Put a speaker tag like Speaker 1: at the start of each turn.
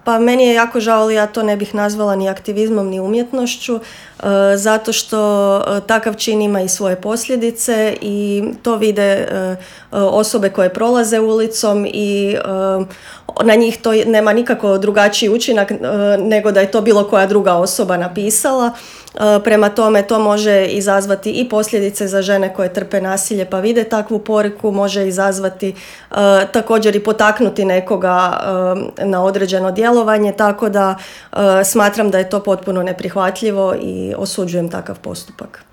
Speaker 1: Pa meni je jako žao, ali ja to ne bih nazvala ni aktivizmom ni umjetnošću, zato što takav čin ima i svoje posljedice i to vide osobe koje prolaze ulicom i na njih to nema nikako drugačiji učinak nego da je to bilo koja druga osoba napisala. Prema tome to može izazvati i posljedice za žene koje trpe nasilje pa vide takvu poruku, može izazvati također i potaknuti nekoga na određeno djelovanje, tako da smatram da je to potpuno neprihvatljivo i osuđujem takav postupak.